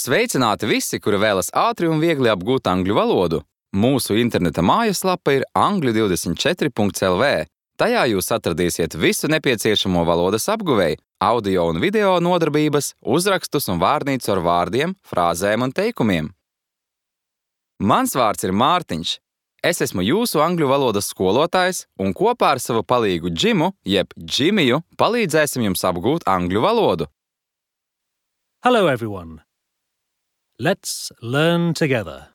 Sveicināti visi, kuri vēlas ātri un viegli apgūt angļu valodu. Mūsu interneta mājaslapa ir angļu24.lv. Tajā jūs atradīsiet visu nepieciešamo valodas apguvēju, audio un video nodarbības, uzrakstus un vārnīcu ar vārdiem, frāzēm un teikumiem. Mans vārds ir Mārtiņš. Es esmu jūsu angļu valodas skolotājs un kopā ar savu palīgu Džimu, jeb Džimiju, palīdzēsim jums apgūt angļu valodu. Hello everyone. Let's learn together.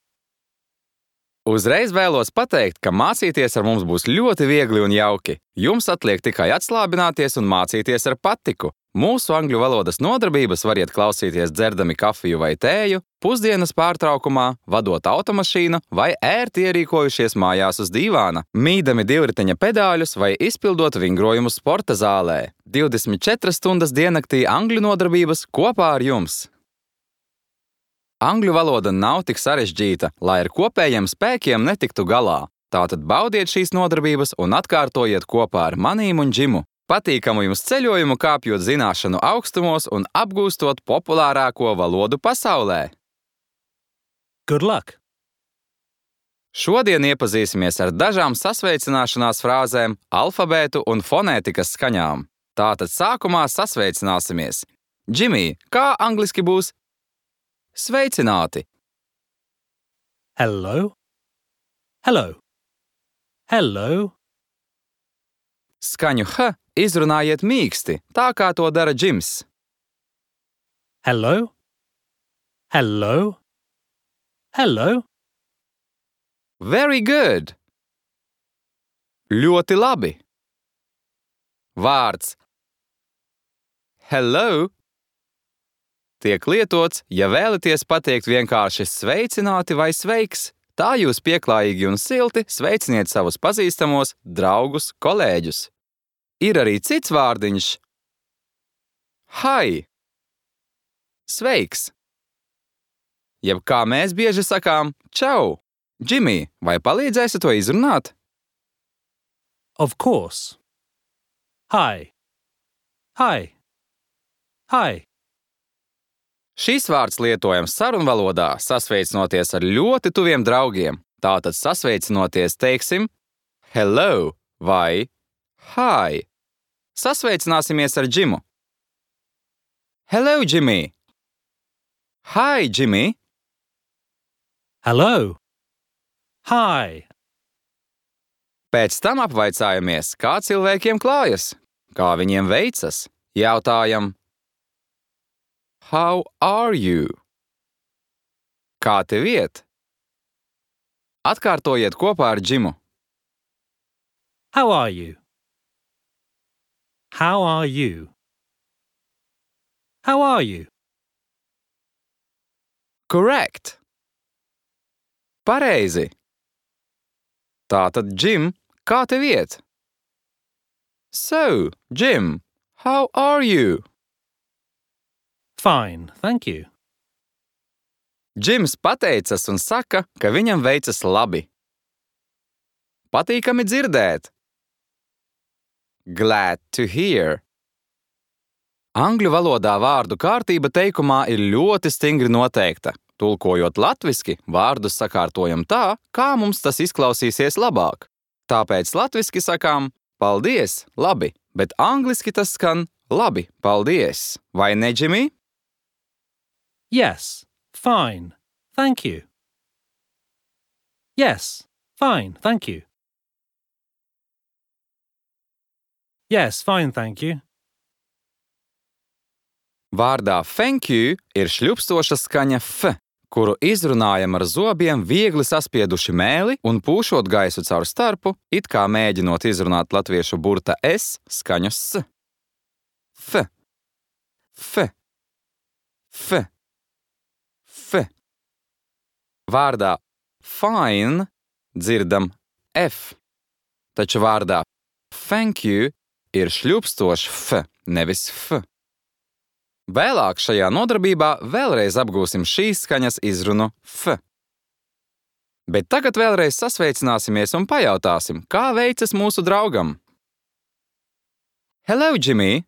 Uzreiz vēlos pateikt, ka mācīties ar mums būs ļoti viegli un jauki. Jums atliek tikai atslābināties un mācīties ar patiku. Mūsu angļu valodas nodarbības variet klausīties dzerdami kafiju vai tēju, pusdienas pārtraukumā, vadot automašīnu vai ērti ierīkojušies mājās uz dīvāna, mīdami divriteņa pedāļus vai izpildot vingrojumus sporta zālē. 24 stundas diennaktī angļu nodarbības kopā ar jums. Angļu valoda nav tik sarežģīta, lai ar kopējiem spēkiem netiktu galā. Tātad baudiet šīs nodarbības un atkārtojiet kopā ar manīm un Džimu. Patīkamu jums ceļojumu kāpjot zināšanu augstumos un apgūstot populārāko valodu pasaulē. Good luck. Šodien iepazīsimies ar dažām sasveicināšanās frāzēm, alfabētu un fonētikas skaņām. Tātad sākumā sasveicināsimies. Džimij, kā angliski būs? Sveicināti! Hello. Hello. Hello. Skaņu H izrunājiet mīksti, tā kā to dara Džims. Hello. Hello. Hello. Very good! Ļoti labi! Vārds hello tiek lietots, ja vēlaties pateikt vienkārši sveicināti vai sveiks. Tā jūs pieklājīgi un silti sveiciniet savus pazīstamos, draugus, kolēģus. Ir arī cits vārdiņš. Hi! Sveiks! Jeb kā mēs bieži sakām, čau! Džimij, vai palīdzēsi to izrunāt? Of course. Hi. Hi. Hi. Šis vārds lietojams sarunvalodā, sasveicinoties ar ļoti tuviem draugiem. Tātad sasveicinoties teiksim hello vai hi. Sasveicināsimies ar Džimu. Hello, Džimij! Hi, Džimij! Hello. Hi. Pēc tam apvaicājamies, kā cilvēkiem klājas, kā viņiem veicas. Jautājam How are you? Kā tev iet? Atkārtojiet kopā ar Džimu. How are you? How are you? How are you? Correct! Pareizi! Tātad, Džim, kā tev iet? So, Džim, how are you? Fine, thank you. Džims pateicas un saka, ka viņam veicas labi. Patīkami dzirdēt. Glad to hear. Angļu valodā vārdu kārtība teikumā ir ļoti stingri noteikta. Tulkojot latviski, vārdus sakārtojam tā, kā mums tas izklausīsies labāk. Tāpēc latviski sakām paldies, labi, bet angliski tas skan labi, paldies. Vai ne, Džimij? Yes, fine, thank you. Yes, fine, thank you. Yes, fine, thank you. Vārdā thank you ir šļupstoša skaņa f, kuru izrunājam ar zobiem viegli saspieduši mēli un pūšot gaisu caur starpu, it kā mēģinot izrunāt latviešu burta s skaņu s. F, f, f, f. Vārdā fine dzirdam f, taču vārdā thank you ir šļupstošs f, nevis f. Vēlāk šajā nodarbībā vēlreiz apgūsim šīs skaņas izrunu f. Bet tagad vēlreiz sasveicināsimies un pajautāsim, kā veicas mūsu draugam. Hello, Džimij!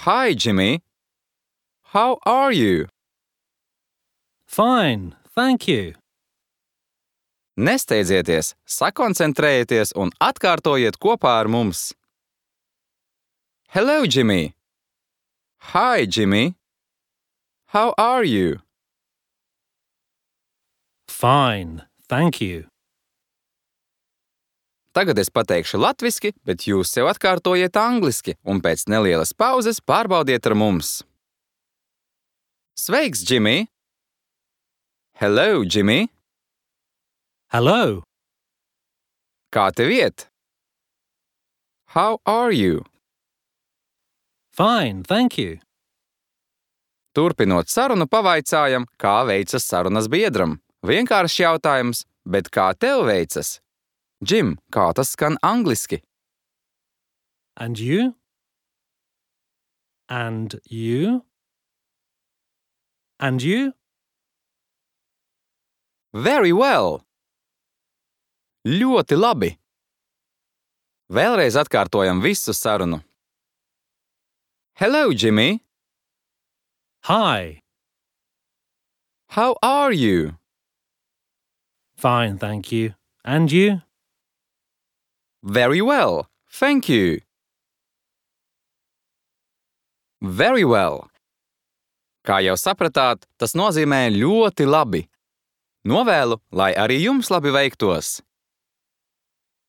Hi, Džimij! How are you? Fine, thank you. Nesteidzieties, sakoncentrējieties un atkārtojiet kopā ar mums. Hello, Jimmy. Hi, Jimmy. How are you? Fine, thank you. Tagad es pateikšu latviski, bet jūs sev atkārtojiet angliski un pēc nelielas pauzes pārbaudiet ar mums. Sveiks, Jimmy! Hello, Jimmy! Hello. Kā tev iet? How are you? Fine, thank you. Turpinot sarunu, pavaicājam, kā veicas sarunas biedram. Vienkāršs jautājums, bet kā tev veicas? Jim, kā tas skan angliski? And you? And you? And you? Very well! Ļoti labi! Vēlreiz atkārtojam visu sarunu. Hello, Jimmy! Hi. How are you? Fine, thank you. And you? Very well, thank you. Very well. Kā jau sapratāt, tas nozīmē ļoti labi. Novēlu, lai arī jums labi veiktos.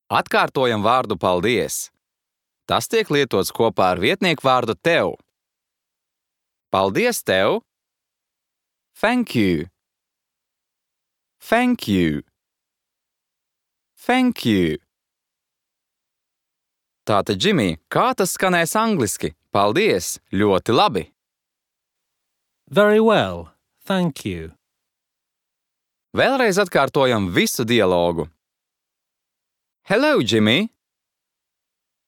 Atkārtojam vārdu paldies. Tas tiek lietots kopā ar vietnieku vārdu tev. Paldies tev. Thank you. Thank you. Thank you. Tātad, Jimmy, kā tas skanēs angliski? Paldies, ļoti labi. Very well, thank you. Vēlreiz atkārtojam visu dialogu. Hello, Jimmy.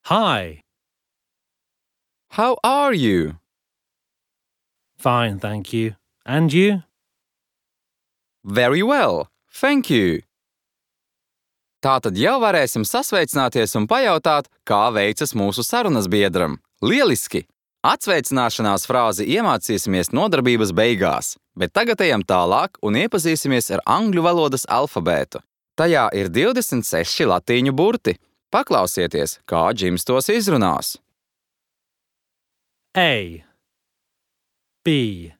Hi. How are you? Fine, thank you. And you? Very well, thank you. Tātad jau varēsim sasveicināties un pajautāt, kā veicas mūsu sarunas biedram. Lieliski! Atsveicināšanās frāzi iemācīsimies nodarbības beigās, bet tagad ejam tālāk un iepazīsimies ar angļu valodas alfabētu. Tajā ir 26 latīņu burti. Paklausieties, kā Džims tos izrunās. A. B.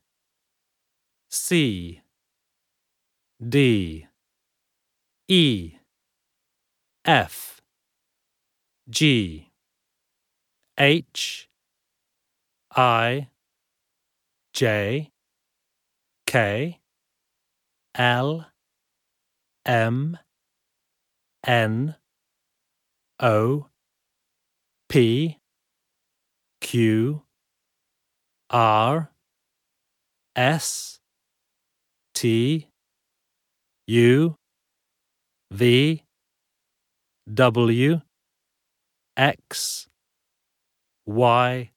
C. D. E. F. G. H. I. J. K. L. M. N. O. P. Q. R. S. T. U. V. W. X. Y.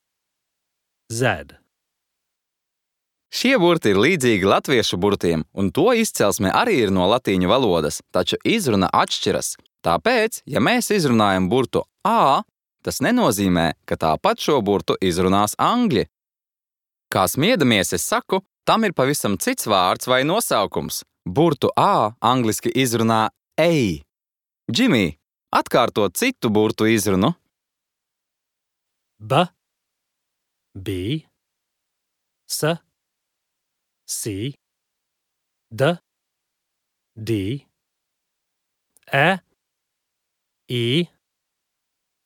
Z. Šie burti ir līdzīgi latviešu burtiem, un to izcelsme arī ir no latīņu valodas, taču izruna atšķiras. Tāpēc, ja mēs izrunājam burtu A, tas nenozīmē, ka tāpat šo burtu izrunās angļi. Kā smiedamies, es saku, tam ir pavisam cits vārds vai nosaukums. Burtu A angliski izrunā A. Jimmy, atkārto citu burtu izrunu. B. B. S. C. D. D. E. E.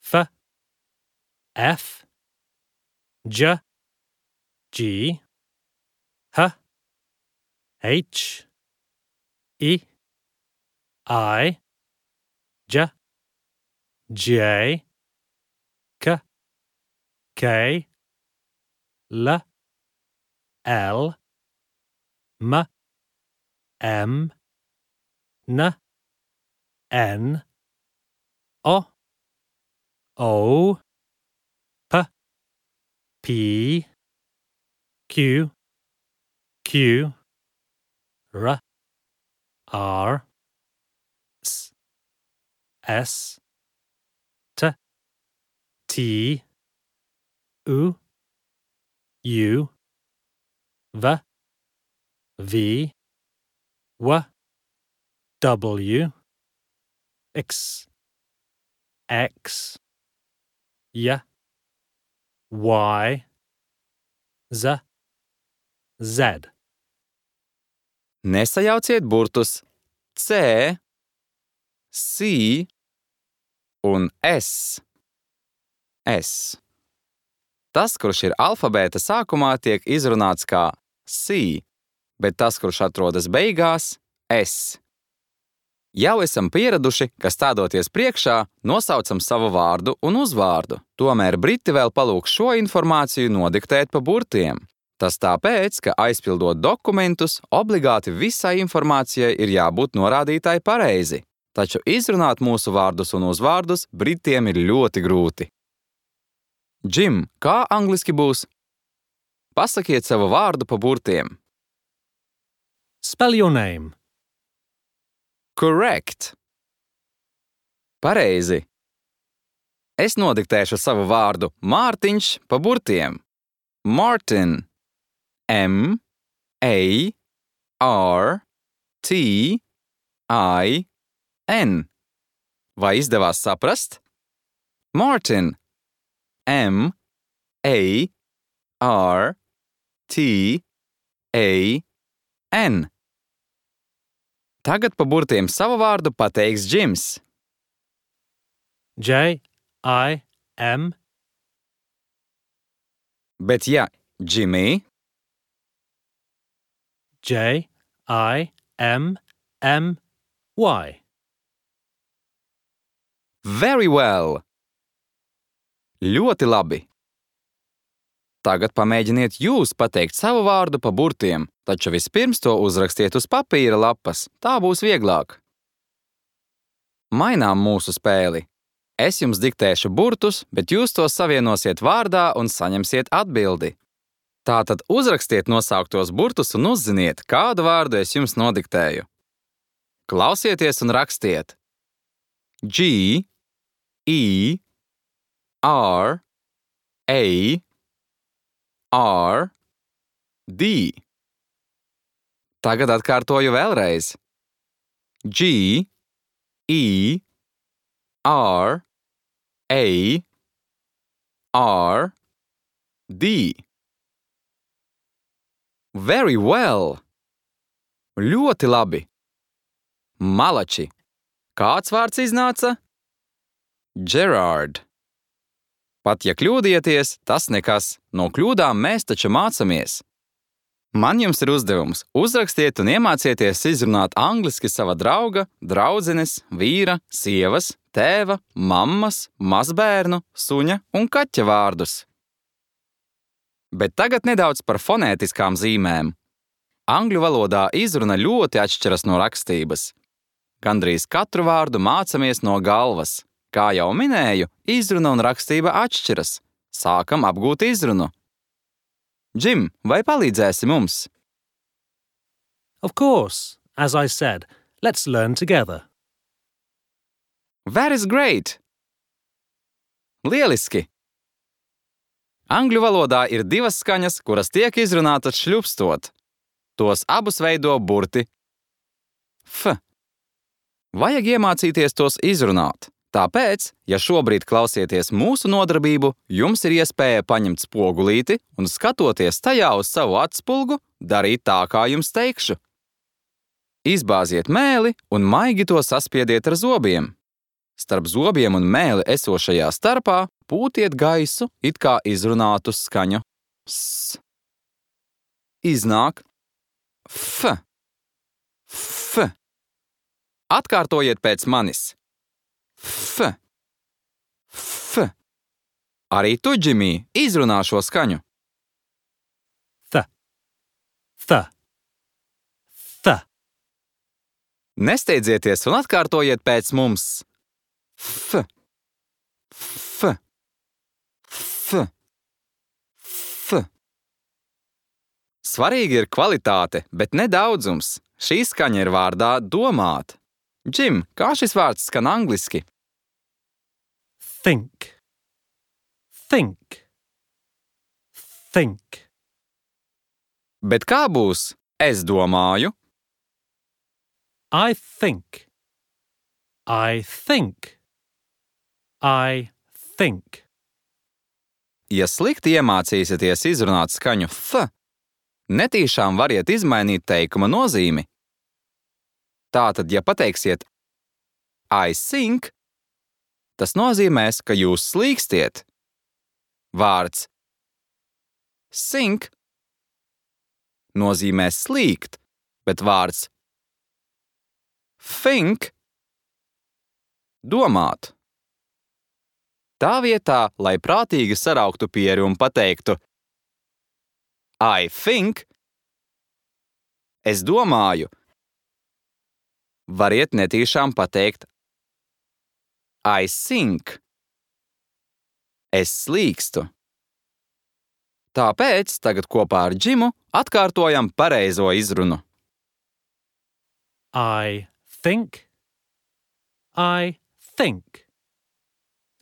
F. F. J. G. H. H. E. I. J. J. K. K. L. L. M. M. N. N. O. O. P. P. Q. Q. R. R. S. S. T. T. U. U. V. V. W, X, X, Y, Y, Z, Z. Nesajauciet burtus C, C un S. S. Tas, kurš ir alfabēta sākumā, tiek izrunāts kā C, bet tas, kurš atrodas beigās, S. Jau esam pieraduši, ka stādoties priekšā, nosaucam savu vārdu un uzvārdu. Tomēr briti vēl palūgs šo informāciju nodiktēt pa burtiem. Tas tāpēc, ka aizpildot dokumentus, obligāti visai informācijai ir jābūt norādītai pareizi. Taču izrunāt mūsu vārdus un uzvārdus britiem ir ļoti grūti. Jim, kā angliski būs? Pasakiet savu vārdu pa burtiem. Spell your name. Correct. Pareizi. Es nodiktēšu savu vārdu Mārtiņš pa burtiem. Martin. M, A, R, T, I, N. Vai izdevās saprast? Martin. M, A, R, T, A, N. Tagad pa burtiem savu vārdu pateiks Jims. J, I, M. Bet ja Jimmy, J, I, M, M, Y. very well. Ļoti labi. Tagad pamēģiniet jūs pateikt savu vārdu pa burtiem, taču vispirms to uzrakstiet uz papīra lapas, tā būs vieglāk. Mainām mūsu spēli. Es jums diktēšu burtus, bet jūs tos savienosiet vārdā un saņemsiet atbildi. Tātad uzrakstiet nosauktos burtus un uzziniet, kādu vārdu es jums nodiktēju. Klausieties un rakstiet. G, E, R, A, R, D. Tagad atkārtoju vēlreiz. G, E, R, A, R, D. Very well. Ļoti labi. Malači. Kāds vārds iznāca? Gerard. Pat ja kļūdieties, tas nekas. No kļūdām mēs taču mācamies. Man jums ir uzdevums. Uzrakstiet un iemācieties izrunāt angliski sava drauga, draudzenes, vīra, sievas, tēva, mammas, mazbērnu, suņa un kaķa vārdus. Bet tagad nedaudz par fonētiskām zīmēm. Angļu valodā izruna ļoti atšķiras no rakstības. Gandrīz katru vārdu mācamies no galvas. Kā jau minēju, izruna un rakstība atšķiras. Sākam apgūt izrunu. Jim, vai palīdzēsi mums? Of course, as I said, let's learn together. That is great! Lieliski! Angļu valodā ir divas skaņas, kuras tiek izrunātas šļupstot. Tos abus veido burti F. Vajag iemācīties tos izrunāt. Tāpēc, ja šobrīd klausieties mūsu nodarbību, jums ir iespēja paņemt spogulīti un skatoties tajā uz savu atspulgu, darīt tā, kā jums teikšu. Izbāziet mēli un maigi to saspiediet ar zobiem. Starp zobiem un mēli esošajā starpā pūtiet gaisu, it kā izrunātu skaņu S. Iznāk F. F. Atkārtojiet pēc manis. F. F. Arī tu, Jimmy, izrunā šo skaņu. Th. Th. Th. Nesteidzieties un atkārtojiet pēc mums. F. F. F. F. Svarīgi ir kvalitāte, bet ne daudzums. Šī skaņa ir vārdā domāt. Jim, kā šis vārds skan angliski? Think. Think. Think. Bet kā būs? Es domāju. I think. I think. I think. Ja slikti iemācīsieties izrunāt skaņu th, netīšām variet izmainīt teikuma nozīmi. Tātad, ja pateiksiet I think, tas nozīmēs, ka jūs slīkstiet. Vārds sink nozīmē slīgt, bet vārds think domāt. Tā vietā, lai prātīgi sarauktu pieri un pateiktu I think, es domāju, variet netīšām pateikt I think, es slīkstu. Tāpēc tagad kopā ar Džimu atkārtojam pareizo izrunu. I think. I think.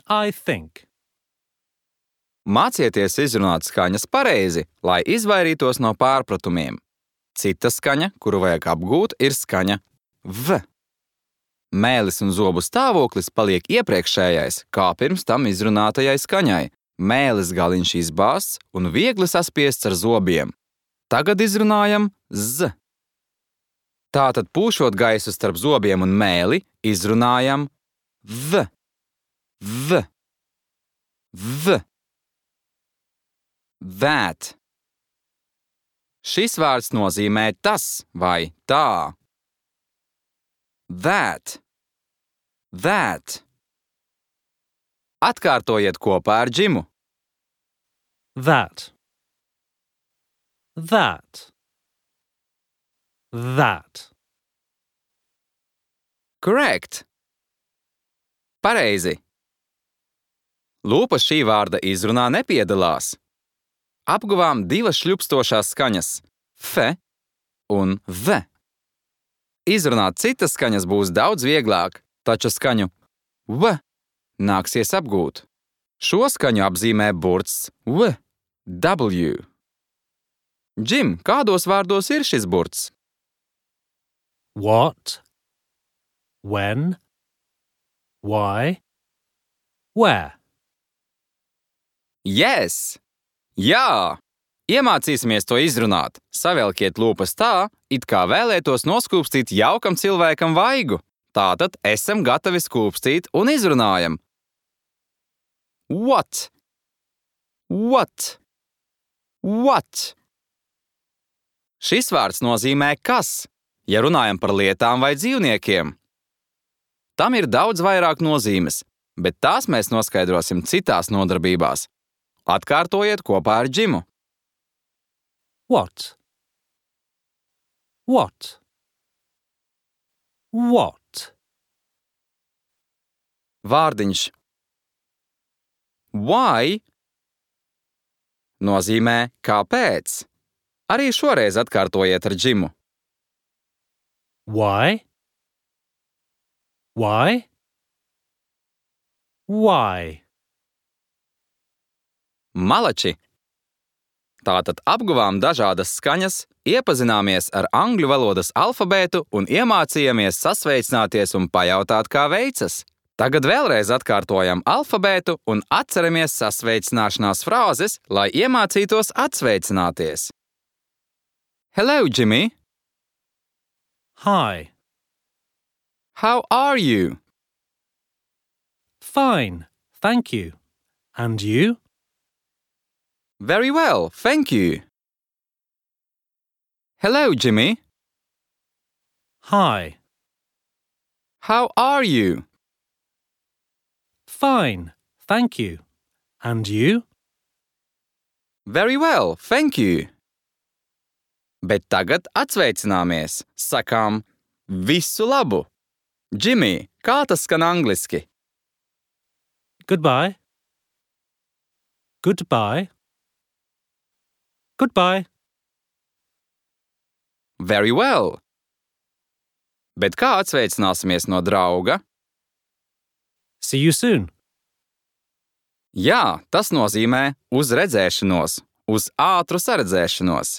I think. Mācieties izrunāt skaņas pareizi, lai izvairītos no pārpratumiem. Cita skaņa, kuru vajag apgūt, ir skaņa v. Mēlis un zobu stāvoklis paliek iepriekšējais, kā pirms tam izrunātajai skaņai. Mēlis galiņš izbāzts un viegli saspiests ar zobiem. Tagad izrunājam z. Tātad pūšot gaisu starp zobiem un mēli, izrunājam v. V. V. That. Šis vārds nozīmē tas vai tā. That. That. Atkārtojiet kopā ar Džimu. That. That. That. Correct. Pareizi. Lūpas šī vārda izrunā nepiedalās. Apguvām divas šļupstošās skaņas – f un v. Izrunāt citas skaņas būs daudz vieglāk, taču skaņu v nāksies apgūt. Šo skaņu apzīmē burts v, w. Džim, kādos vārdos ir šis burts? What? When? Why? Where? Yes! Jā! Iemācīsimies to izrunāt. Savelkiet lūpas tā, it kā vēlētos noskūpstīt jaukam cilvēkam vaigu. Tātad esam gatavi skūpstīt un izrunājam. What? What? What? Šis vārds nozīmē kas, ja runājam par lietām vai dzīvniekiem. Tam ir daudz vairāk nozīmes, bet tās mēs noskaidrosim citās nodarbībās. Atkārtojiet kopā ar Džimu. What? What? What? Vārdiņš why nozīmē kāpēc. Arī šoreiz atkārtojiet ar Džimu. Why? Why? Why? Malači. Tātad apguvām dažādas skaņas, iepazināmies ar angļu valodas alfabētu un iemācījāmies sasveicināties un pajautāt, kā veicas. Tagad vēlreiz atkārtojam alfabētu un atceramies sasveicināšanās frāzes, lai iemācītos atsveicināties. Hello, Jimmy. Hi. How are you? Fine, thank you. And you? Very well, thank you. Hello, Jimmy. Hi. How are you? Fine, thank you. And you? Very well, thank you. Bet tagad atsveicināmies. Sakām visu labu. Jimmy, kā tas skan angliski? Goodbye. Goodbye. Goodbye. Very well. Bet kā atsveicināsimies no drauga? See you soon. Jā, tas nozīmē uz redzēšanos, uz ātru saredzēšanos.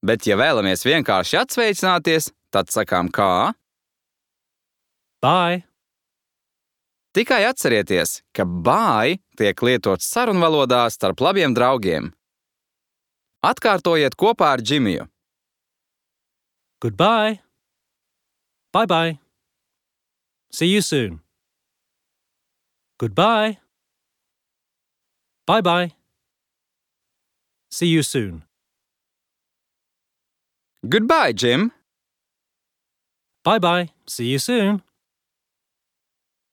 Bet ja vēlamies vienkārši atsveicināties, tad sakām kā? Bye. Tikai atcerieties, ka bye tiek lietots sarunvalodā starp labiem draugiem. Atkārtojiet kopā ar Džimiju. Goodbye. Bye-bye. See you soon. Goodbye. Bye-bye. See you soon. Goodbye, Jim! Bye-bye. See you soon.